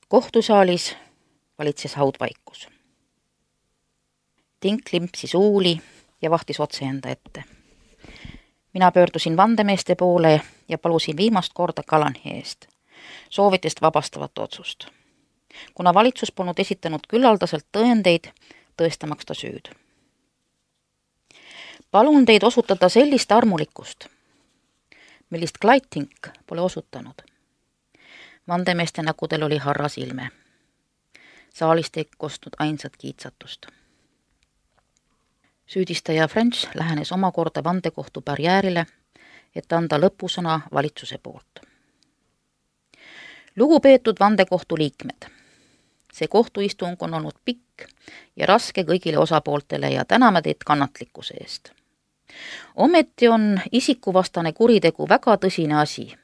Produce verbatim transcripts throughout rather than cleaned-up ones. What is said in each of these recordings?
Kohtusaalis valitses haudvaikus. Tink limpsis uuli ja vahtis otse enda ette. Mina pöördusin vandemeeste poole ja palusin viimast korda Callaghani eest, soovitest vabastavat otsust, kuna valitsus polnud esitanud küllaldaselt tõendeid tõestamaks ta süüd. Palun teid osutada sellist armulikkust, millist Clyde Tink pole osutanud. Vandemeeste näkudel oli harras ilme. Saalist ei kostnud ainsat kiitsatust. Süüdistaja French lähenes omakorda vandekohtu barjäärile, et anda lõpusõna valitsuse poolt. Lugupeetud vandekohtu liikmed, see kohtuistung on olnud pikk ja raske kõigile osapooltele ja täname teid kannatlikkuse eest. Ometi on isikuvastane kuritegu väga tõsine asi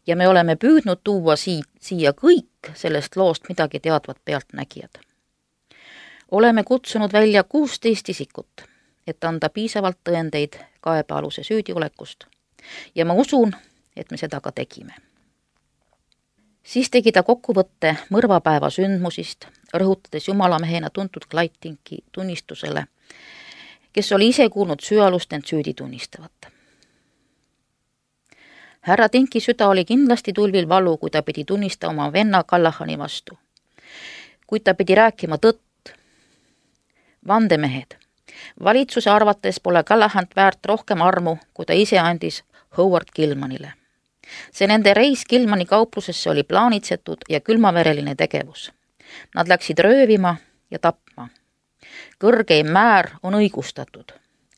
ja me oleme püüdnud tuua sii, siia kõik sellest loost midagi teadvat pealtnägijad. Oleme kutsunud välja kuusteist isikut, et anda piisavalt tõendeid kaebealuse süüdiolekust ja ma usun, et me seda ka tegime. Siis tegi ta kokkuvõtte mõrvapäeva sündmusist, rõhutades jumalamehena tuntud Clyde Tinki tunnistusele, kes oli ise kuulnud süüalust end süüdi tunnistavat. Härra Tinki süda oli kindlasti tulvil valu, kui ta pidi tunnistama oma venna Callaghani vastu. Kuid ta pidi rääkima tõtt. Vandemehed, valitsuse arvates pole Callaghan väärt rohkem armu, kui ta ise andis Howard Gilmanile. See nende reis Gilmani kauplusesse oli plaanitsetud ja külmavereline tegevus. Nad läksid röövima ja tapma. Kõrgeim määr on õigustatud.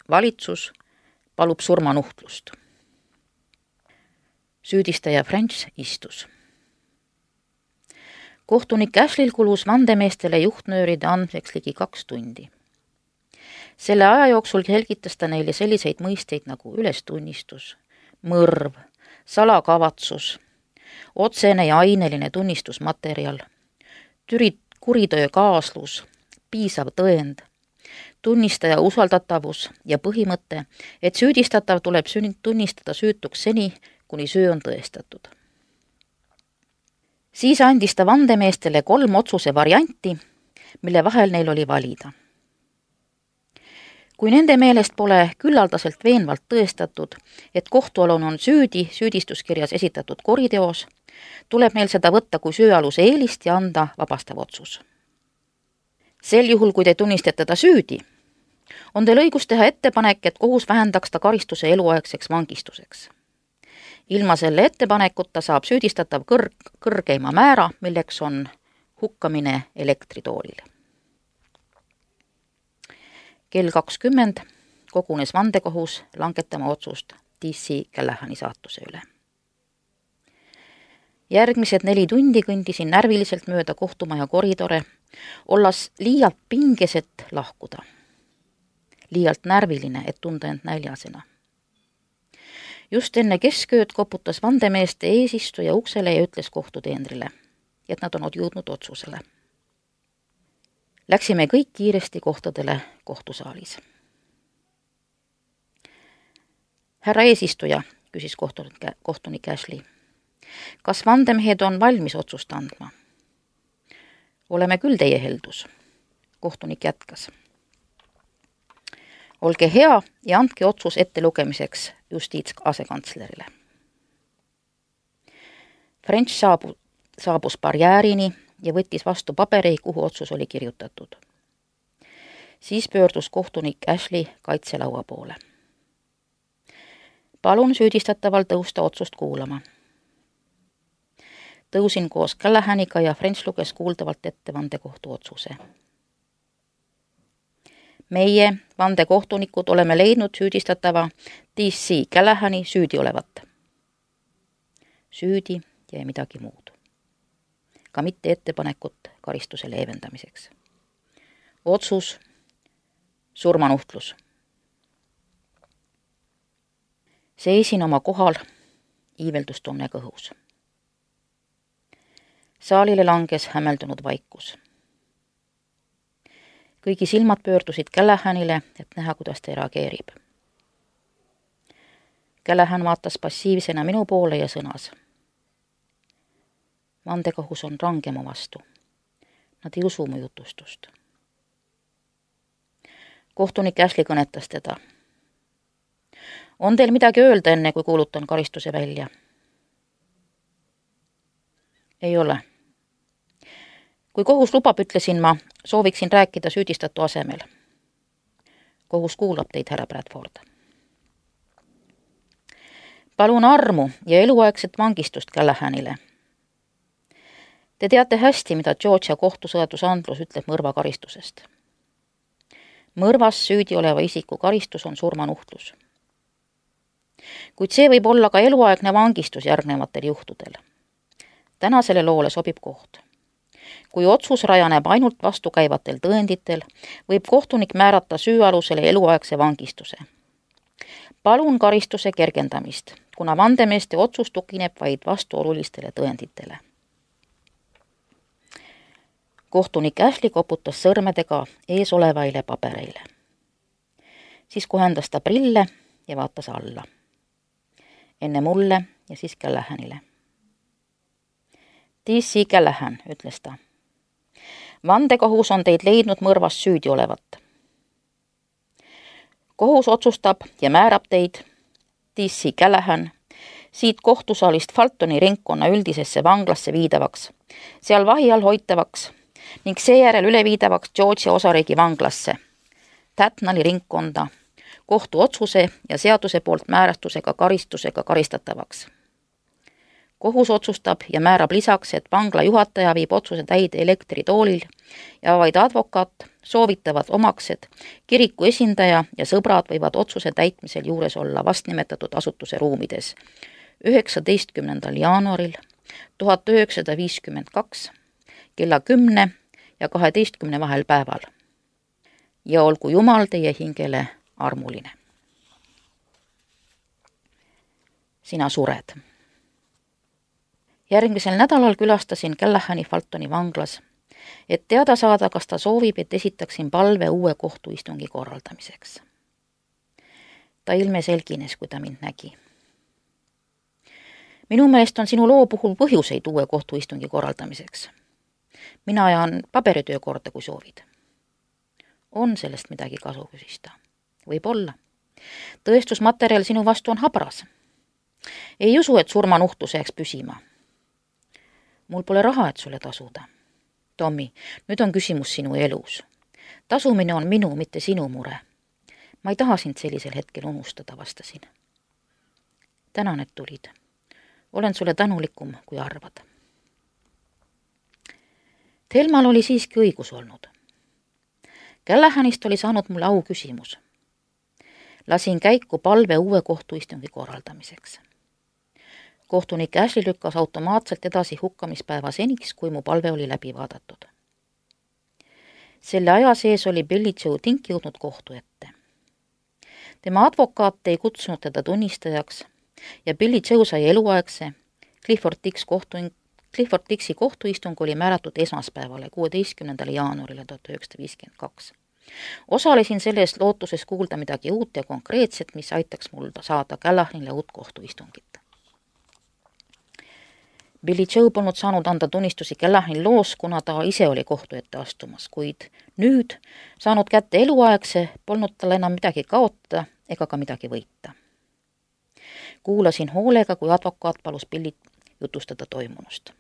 Valitsus palub surmanuhtlust. Süüdistaja French istus. Kohtunik Ashleyl kulus vandemeestele juhtnööride andmiseks ligi kaks tundi. Selle aja jooksul selgitas ta neile selliseid mõisteid nagu ülestunnistus, mõrv, salakavatsus, otsene ja aineline tunnistusmaterjal, türi, kuritöö kaaslus, piisav tõend, tunnistaja usaldatavus ja põhimõte, et süüdistatav tuleb tunnistada süütuks seni, kuni süü on tõestatud. Siis andis ta vandemeestele kolm otsuse varianti, mille vahel neil oli valida. Kui nende meelest pole küllaldaselt veenvalt tõestatud, et kohtualune on süüdi süüdistuskirjas esitatud kuriteos, tuleb neil seda võtta kui süüaluse eelist ja anda vabastav otsus. Sel juhul, kui te tunnistate ta süüdi, on teil õigus teha ettepanek, et kohus vähendaks ta karistuse eluaegseks vangistuseks. Ilma selle ettepanekuta saab süüdistatav kõrg, kõrgeima määra, milleks on hukkamine elektritoolile. Kell kakskümmend kogunes vandekohus langetama otsust D C Callaghani saatuse üle. Järgmised neli tundi kõndisin närviliselt mööda kohtumaja koridore, olles liialt pingeset lahkuda. Liialt närviline, et tunda end näljasena. Just enne keskööd koputas vandemeeste eesistuja uksele ja ütles kohtuteenrile, et nad on jõudnud otsusele. Läksime kõik kiiresti kohtadele kohtusaalis. Härra eesistuja, küsis kohtunik, kohtunik Ashley, kas vandemehed on valmis otsust andma? Oleme küll teie heldus, kohtunik jätkas. Olge hea ja andke otsus ettelugemiseks justiitsasekantslerile. French saabu, saabus barjäärini ja võttis vastu paberi, kuhu otsus oli kirjutatud. Siis pöördus kohtunik Ashley kaitselaua poole. Palun süüdistataval tõusta otsust kuulama. Tõusin koos Callaghaniga ja French luges kuuldavalt ette vandekohtu otsuse. Meie, vandekohtunikud, oleme leidnud süüdistatava D C Callaghani süüdi olevat. Süüdi ja midagi muud. Ka mitte ettepanekut karistuse leevendamiseks. Otsus, surmanuhtlus. Seisin oma kohal iiveldustunne kõhus. Saalile langes hämmeldunud vaikus. Kõigi silmad pöördusid Callaghanile, et näha, kuidas ta reageerib. Callahan vaatas passiivsena minu poole ja sõnas. vandekohus on range mu vastu. Nad ei usu mu jutustust. Kohtunik Ashley kõnetas teda. On teil midagi öelda enne, kui kuulutan karistuse välja? Ei ole. Kui kohus lubab, ütlesin ma, sooviksin rääkida süüdistatu asemel. Kohus kuulab teid, härra Bradford. Palun armu ja eluaegset vangistust Callahanile. Te teate hästi, mida Georgia kohtuseadusandlus ütleb mõrvakaristusest. Mõrvas süüdi oleva isiku karistus on surmanuhtlus. Kuid see võib olla ka eluaegne vangistus järgnevatel juhtudel. Tänasele loole sobib koht. Kui otsus rajaneb ainult vastukäivatel tõenditel, võib kohtunik määrata süüalusele eluaegse vangistuse. Palun karistuse kergendamist, kuna vandemeeste otsus tugineb vaid vastuolulistele tõenditele. Kohtunik Ashley koputas sõrmedega ees olevaile pabereile. Siis kohendas ta prille ja vaatas alla. Enne mulle ja siis Callahanile. D C Callahan, ütles ta. Vandekohus on teid leidnud mõrvas süüdi olevat. Kohus otsustab ja määrab teid, D C Callahan, siit kohtusaalist Fultoni ringkonna üldisesse vanglasse viidavaks, seal vahi all hoitavaks ning seejärel üle viidavaks Georgia osariigi vanglasse, Tatnali ringkonda, kohtu otsuse ja seaduse poolt määrastusega karistusega karistatavaks. Kohus otsustab ja määrab lisaks, et vangla juhataja viib otsuse täide elektritoolil ja vaid advokaat, soovitavad omaksed, kiriku esindaja ja sõbrad võivad otsuse täitmisel juures olla vastnimetatud asutuse ruumides üheksateistkümnendal jaanuaril tuhat üheksasada viiskümmend kaks kella kümne ja kaheteistkümne vahel päeval. Ja olgu Jumal teie hingele armuline. Sina sured. Järgmisel nädalal külastasin Callahani Fultoni vanglas, et teada saada, kas ta soovib, et esitaksin palve uue kohtuistungi korraldamiseks. Ta ilme selgines, kui ta mind nägi. Minu meelest on sinu loo puhul põhjuseid uue kohtuistungi korraldamiseks. Mina ajan paberitöö korda, kui soovid. On sellest midagi kasu, küsis ta. Võib olla. Tõestusmaterjal sinu vastu on habras. Ei usu, et surmanuhtlus jääks püsima. Mul pole raha, et sulle tasuda. Tommy, nüüd on küsimus sinu elus. Tasumine on minu, mitte sinu mure. Ma ei taha sind sellisel hetkel unustada, vastasin. Tänan, et tulid. Olen sulle tänulikum, kui arvad. Thelmal oli siiski õigus olnud. Callahanist oli saanud mulle au küsimus. Lasin käiku palve uue kohtuistungi korraldamiseks. Kohtunik Ashley lükkas automaatselt edasi hukkamispäeva seniks, kui mu palve oli läbi vaadatud. Selle aja sees oli Billy Joe Tink jõudnud kohtu ette. Tema advokaat ei kutsunud teda tunnistajaks ja Billy Joe sai eluaegse. Clifford Dix kohtuing, Clifford Dixi kohtuistung oli määratud esmaspäevale, kuueteistkümnendale jaanuarile tuhat üheksasada viiskümmend kaks. Osalesin selles lootuses kuulda midagi uut ja konkreetset, mis aitaks mul saada Callahanile uut kohtuistungit. Billy Joe polnud saanud anda tunnistusi Callahani loos, kuna ta ise oli kohtu ette astumas, kuid nüüd, saanud kätte eluaegse, polnud tal enam midagi kaotada ega ka midagi võita. Kuulasin hoolega, kui advokaat palus Billy jutustada toimunust.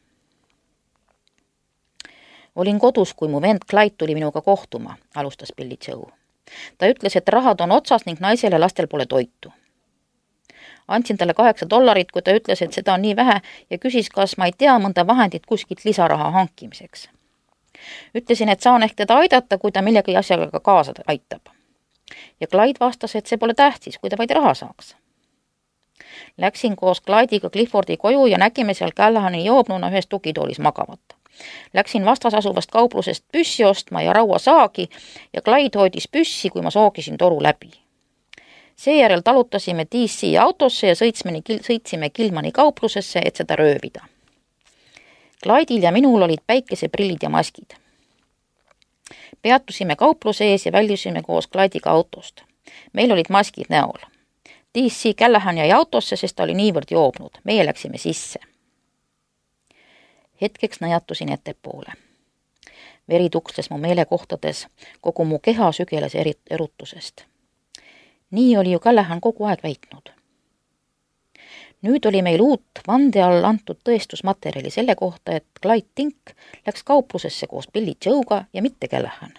Olin kodus, kui mu vend Clyde tuli minuga kohtuma, alustas Billy Joe. Ta ütles, et rahad on otsas ning naisel ja lastel pole toitu. Andsin talle kaheksa dollarit, kui ta ütles, et seda on nii vähe ja küsis, kas ma ei tea mõnda vahendit kuskilt lisaraha hankimiseks. Ütlesin, et saan ehk teda aidata, kui ta millegi asjaga kaasa aitab. Ja Clyde vastas, et see pole tähtis, kui ta vaid raha saaks. Läksin koos Clyde'iga Cliffordi koju ja nägime seal Callahani joobnuna ühes tugitoolis magavat. Läksin vastas asuvast kauplusest püssi ostma ja rauasaagi ja Clyde hoidis püssi, kui ma soogisin toru läbi. Seejärel talutasime D C autosse ja sõitsime, sõitsime Kilmani kauplusesse, et seda röövida. Clyde'il ja minul olid päikeseprillid ja maskid. Peatusime kaupluse ees ja väljusime koos Clyde'iga autost. Meil olid maskid näol. D C Callahan jäi autosse, sest ta oli niivõrd joobnud. Meie läksime sisse. Hetkeks nõjatusin ettepoole. Veri tuksles mu meelekohtades, kogu mu keha sügeles eri- erutusest. Nii oli ju Callahan kogu aeg väitnud. Nüüd oli meil uut vande all antud tõestusmaterjali selle kohta, et Clyde Tink läks kauplusesse koos Billy Joe'ga ja mitte Callahan.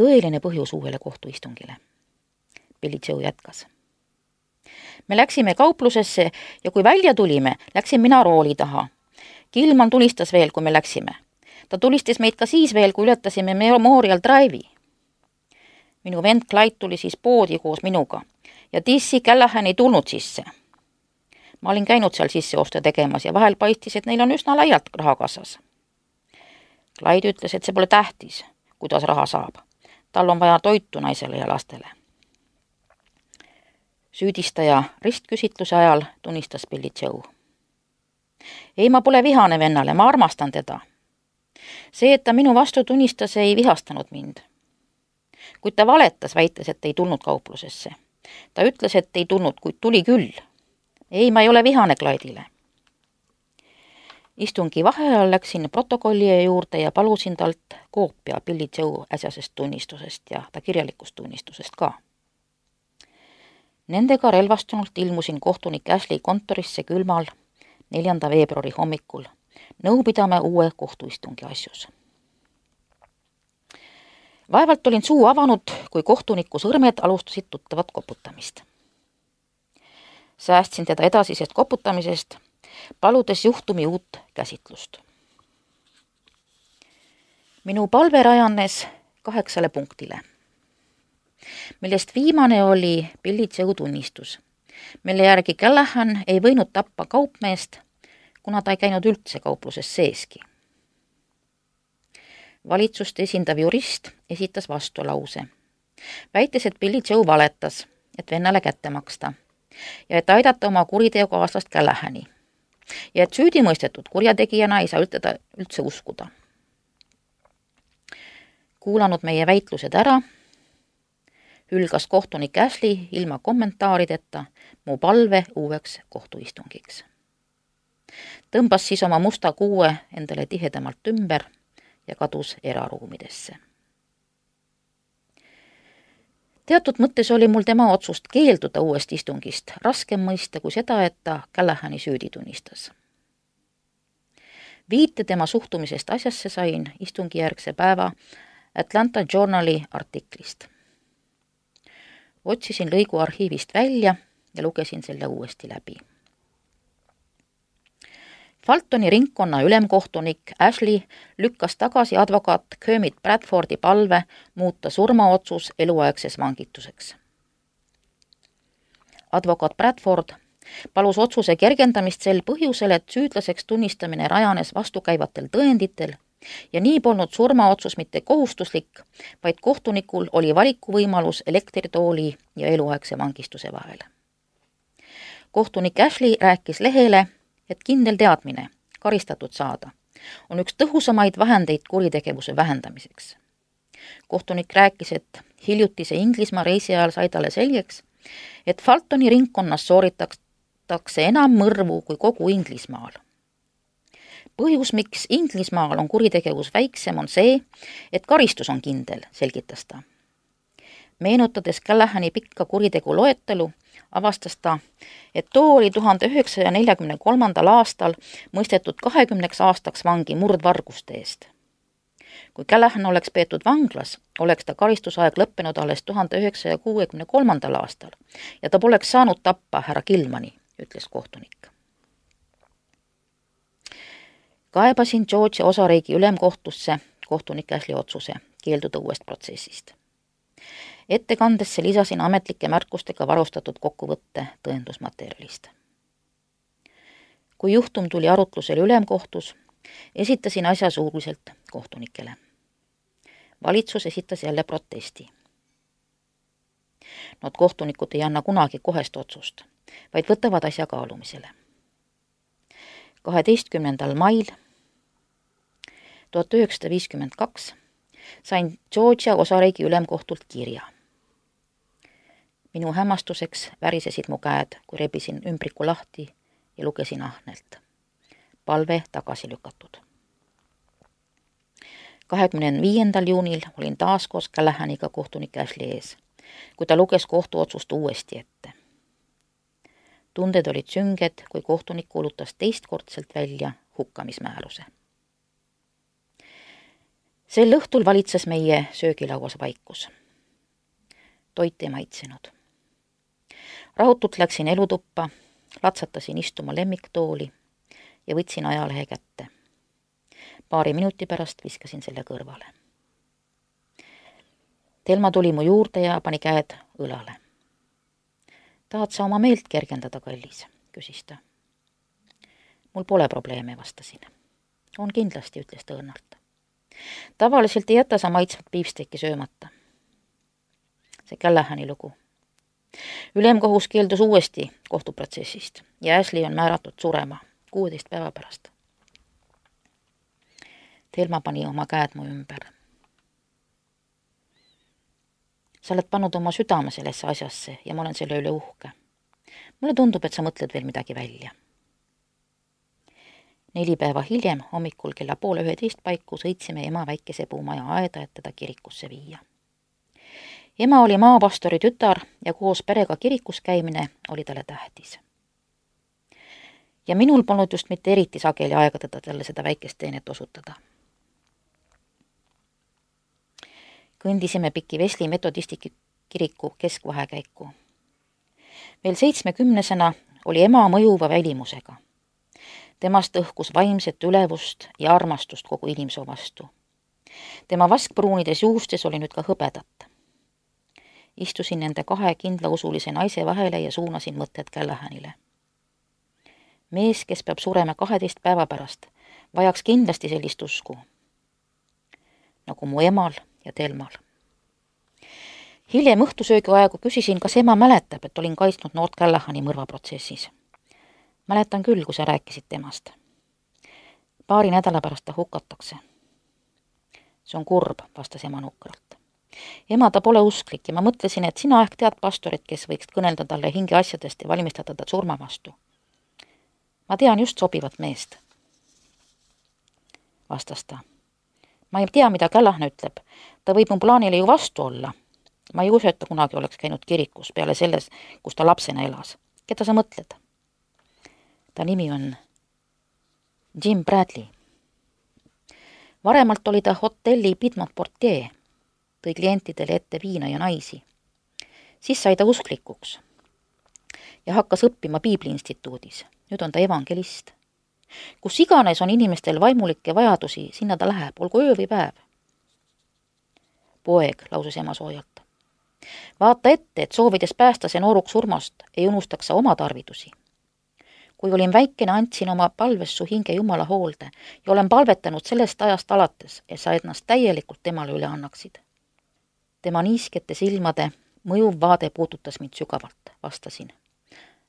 Tõeline põhjus uuele kohtuistungile. Billy Joe jätkas. Me läksime kauplusesse ja kui välja tulime, läksin mina rooli taha. Gilman tulistas veel, kui me läksime. Ta tulistas meid ka siis veel, kui ületasime Memorial Drive'i. Minu vend Clyde tuli siis poodi koos minuga ja Tissi Callahan ei tulnud sisse. Ma olin käinud seal sisseoste tegemas ja vahel paistis, et neil on üsna laialt raha kassas. Clyde ütles, et see pole tähtis, kuidas raha saab. Tal on vaja toitu naisele ja lastele. Süüdistaja ristküsitluse ajal tunnistas Billy Joe. Ei, ma pole vihane vennale, ma armastan teda. See, et ta minu vastu tunnistas, ei vihastanud mind. Kuid ta valetas, väites, et ei tulnud kauplusesse. Ta ütles, et ei tulnud, kuid tuli küll. Ei, ma ei ole vihane Clyde'ile. Istungi vaheajal läksin protokollija juurde ja palusin talt koopia Billy Joe äsjasest tunnistusest ja ta kirjalikust tunnistusest ka. Nendega relvastunult ilmusin kohtunik Ashley kontorisse külmal neljanda veebruari hommikul. Nõu pidame uue kohtuistungi asjus. Vaevalt olin suu avanud, kui kohtuniku sõrmed alustasid tuttavat koputamist. Säästsin teda edasisest koputamisest, paludes juhtumi uut käsitlust. Minu palve rajanes kaheksale punktile, millest viimane oli Billy Joe tunnistus, mille järgi Callahan ei võinud tappa kaupmeest, kuna ta ei käinud üldse kaupluses seeski. Valitsust esindav jurist esitas vastulause, väites, et Billy Joe valetas, et vennale kätte maksta ja et aidata oma kuriteokaaslast Callahani ja et süüdimõistetud kurjategijana ei saa üldse, üldse uskuda. Kuulanud meie väitlused ära, hülgas kohtunik Ashley ilma kommentaarideta mu palve uueks kohtuistungiks. Tõmbas siis oma musta kuue endale tihedamalt ümber ja kadus eraruumidesse. Teatud mõttes oli mul tema otsust keelduda uuest istungist raskem mõista kui seda, et ta Callahani süüdi tunnistas. Viite tema suhtumisest asjasse sain istungijärgse päeva Atlanta Journali artiklist. Otsisin lõigu arhiivist välja ja lugesin selle uuesti läbi. Fultoni ringkonna ülemkohtunik Ashley lükkas tagasi advokaat Kermit Bradfordi palve muuta surmaotsus eluaegses vangituseks. Advokaat Bradford palus otsuse kergendamist sel põhjusel, et süüdlaseks tunnistamine rajanes vastukäivatel tõenditel ja nii polnud surmaotsus mitte kohustuslik, vaid kohtunikul oli valikuvõimalus elektritooli ja eluaegse vangistuse vahel. Kohtunik Ashley rääkis lehele, et kindel teadmine, karistatud saada, on üks tõhusamaid vahendeid kuritegevuse vähendamiseks. Kohtunik rääkis, et hiljutise Inglismaa reisi ajal sai talle selgeks, et Fultoni ringkonnas sooritatakse enam mõrvu kui kogu Inglismaal. Põhjus, miks Inglismaal on kuritegevus väiksem, on see, et karistus on kindel, selgitas ta. Meenutades Callahani pikka kuritegu loetelu, avastas ta, et too oli tuhande üheksasaja neljakümne kolmandal aastal mõistetud kahekümneks aastaks vangi murdvarguste eest. Kui Callahan oleks peetud vanglas, oleks ta karistusaeg lõppenud alles tuhande üheksasaja kuuekümne kolmandal aastal ja ta poleks saanud tappa härra Gilmani, ütles kohtunik. Kaebasin Georgia osariigi ülemkohtusse kohtunik Ashley otsuse keelduda uuest protsessist. Ettekandesse lisasin ametlike märkustega varustatud kokkuvõtte tõendusmaterjalist. Kui juhtum tuli arutlusele ülemkohtus, esitasin asja suuliselt kohtunikele. Valitsus esitas jälle protesti. Nad kohtunikud ei anna kunagi kohest otsust, vaid võtavad asja kaalumisele. kaheteistkümnendal mail tuhat üheksasada viiskümmend kaks sain Georgia osariigi ülemkohtult kirja. Minu hämmastuseks värisesid mu käed, kui rebisin ümbriku lahti ja lugesin ahnelt. palve tagasi lükatud. kahekümne viiendal juunil olin taas koos Callahaniga kohtunik Ashley ees, kui ta luges kohtuotsust uuesti ette. Tunded olid sünged, kui kohtunik kuulutas teistkordselt välja hukkamismääruse. Sel õhtul valitses meie söögilauas vaikus. Toit ei maitsenud. Rahutult läksin elutuppa, latsatasin istuma lemmiktooli ja võtsin ajalehe kätte. Paari minuti pärast viskasin selle kõrvale. Telma tuli mu juurde ja pani käed õlale. Tahad sa oma meelt kergendada, kallis, küsis ta. Mul pole probleeme, vastasin. On kindlasti, ütles ta õnnalt. Tavaliselt ei jäta sa maitsvat piifsteki söömata. See Callahani lugu. Ülemkohus keeldus uuesti kohtuprotsessist ja Ashley on määratud surema kuueteist päeva pärast. Telma pani oma käed mu ümber. Sa oled pannud oma südame sellesse asjasse ja ma olen selle üle uhke. Mulle tundub, et sa mõtled veel midagi välja. Neli päeva hiljem hommikul kella poole üheteist paiku sõitsime ema väikese puumaja aeda, et teda kirikusse viia. Ema oli maapastori tütar ja koos perega kirikus käimine oli talle tähtis. Ja minul polnud just mitte eriti sageli aega teda talle seda väikest teenet osutada. Kõndisime piki Vesli metodisti kiriku keskvahekäiku. Veel seitsmekümnesena oli ema mõjuva välimusega. Temast õhkus vaimset ülevust ja armastust kogu inimsoo vastu. Tema vaskpruunides juustes oli nüüd ka hõbedat. Istusin nende kahe kindlausulise naise vahele ja suunasin mõtted Callahanile. Mees, kes peab surema kaheteist päeva pärast, vajaks kindlasti sellist usku. Nagu mu emal ja Telmal. Hiljem õhtusöögi aegu küsisin, kas ema mäletab, et olin kaitsnud noort Callahani mõrvaprotsessis. Mäletan küll, kui sa rääkisid temast. Paari nädala pärast ta hukatakse. See on kurb, vastas ema nukralt. Ema ta pole usklik ja ma mõtlesin, et sina ehk tead pastorit, kes võiks kõnelda talle hinge asjadest ja valmistada ta surma vastu. Ma tean just sobivat meest, vastas ta. Ma ei tea, mida Callahan ütleb. Ta võib mu plaanile ju vastu olla. Ma ei usu, et ta kunagi oleks käinud kirikus peale selles, kus ta lapsena elas. Keda sa mõtled? Ta nimi on Jim Bradley. Varemalt oli ta hotelli Piedmont Portier, tõi klientidele ette viina ja naisi. Siis sai ta usklikuks ja hakkas õppima Piibliinstituudis. Nüüd on ta evangelist. Kus iganes on inimestel vaimulikke vajadusi, sinna ta läheb, olgu öö või päev. Poeg, lausus ema soojalt. Vaata ette, et soovides päästa see nooruks surmast, ei unustaks sa oma tarvidusi. Kui olin väikene, andsin oma palves su hinge Jumala hoolde ja olen palvetanud sellest ajast alates, et sa ennast täielikult temale üle annaksid. Tema niiskete silmade mõjuv vaade puudutas mind sügavalt, vastasin.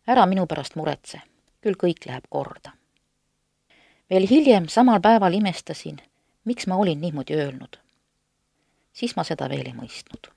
Ära minu pärast muretse, küll kõik läheb korda. Veel hiljem samal päeval imestasin, miks ma olin niimoodi öelnud. Siis ma seda veel ei mõistnud.